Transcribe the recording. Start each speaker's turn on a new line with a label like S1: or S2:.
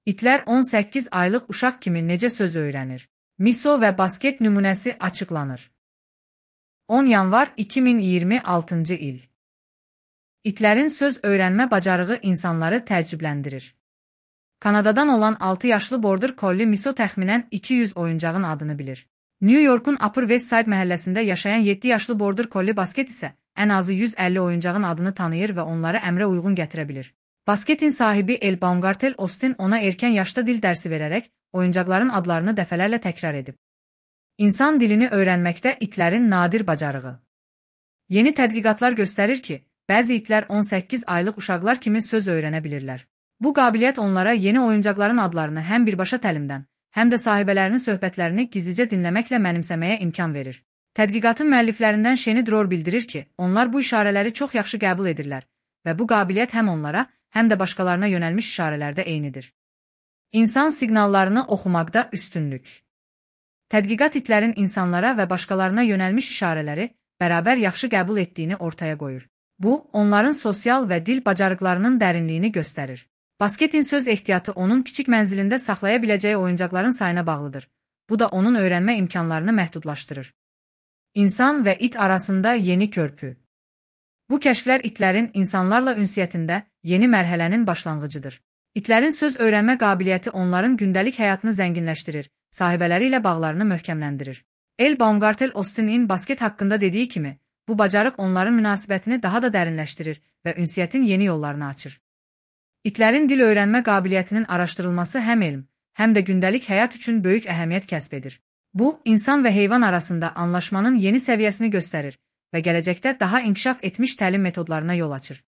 S1: İtlər 18 aylıq uşaq kimi necə söz öyrənir? Miso və basket nümunəsi açıqlanır. 10 yanvar 2026-cı il. İtlərin söz öyrənmə bacarığı insanları təəccübləndirir. Kanadadan olan 6 yaşlı Border Collie Miso təxminən 200 oyuncağın adını bilir. New York'un Upper West Side məhəlləsində yaşayan 7 yaşlı Border Collie Basket isə ən azı 150 oyuncağın adını tanıyır və onları əmrə uyğun gətirə bilir. Basketin sahibi El Baumgartel Austin ona erkən yaşda dil dərsi verərək oyuncaqların adlarını dəfələrlə təkrar edib. İnsan dilini öyrənməkdə itlərin nadir bacarığı. Yeni tədqiqatlar göstərir ki, bəzi itlər 18 aylıq uşaqlar kimi söz öyrənə bilirlər. Bu qabiliyyət onlara yeni oyuncaqların adlarını həm birbaşa təlimdən, həm də sahibələrinin söhbətlərini gizlicə dinləməklə mənimsəməyə imkan verir. Tədqiqatın müəlliflərindən Sheni Dror bildirir ki, onlar bu işarələri çox yaxşı qəbul edirlər və bu qabiliyyət həm onlara, həm də başqalarına yönəlmiş işarələrdə eynidir. İnsan siqnallarını oxumaqda üstünlük. Tədqiqat itlərin insanlara və başqalarına yönəlmiş işarələri bərabər yaxşı qəbul etdiyini ortaya qoyur. Bu, onların sosial və dil bacarıqlarının dərinliyini göstərir. Basketin söz ehtiyatı onun kiçik mənzilində saxlaya biləcəyi oyuncaqların sayına bağlıdır. Bu da onun öyrənmə imkanlarını məhdudlaşdırır. İnsan və it arasında yeni körpü. Bu kəşflər itlərin insanlarla ünsiyyətində yeni mərhələnin başlanğıcıdır. İtlərin söz öyrənmə qabiliyyəti onların gündəlik həyatını zənginləşdirir, sahibələri ilə bağlarını möhkəmləndirir. El Baumgartel Austin'in basket haqqında dediyi kimi, bu bacarıq onların münasibətini daha da dərinləşdirir və ünsiyyətin yeni yollarını açır. İtlərin dil öyrənmə qabiliyyətinin araşdırılması həm elm, həm də gündəlik həyat üçün böyük əhəmiyyət kəsb edir. Bu, insan və heyvan arasında anlaşmanın yeni səviyyəsini göstərir və gələcəkdə daha inkişaf etmiş təlim metodlarına yol açır.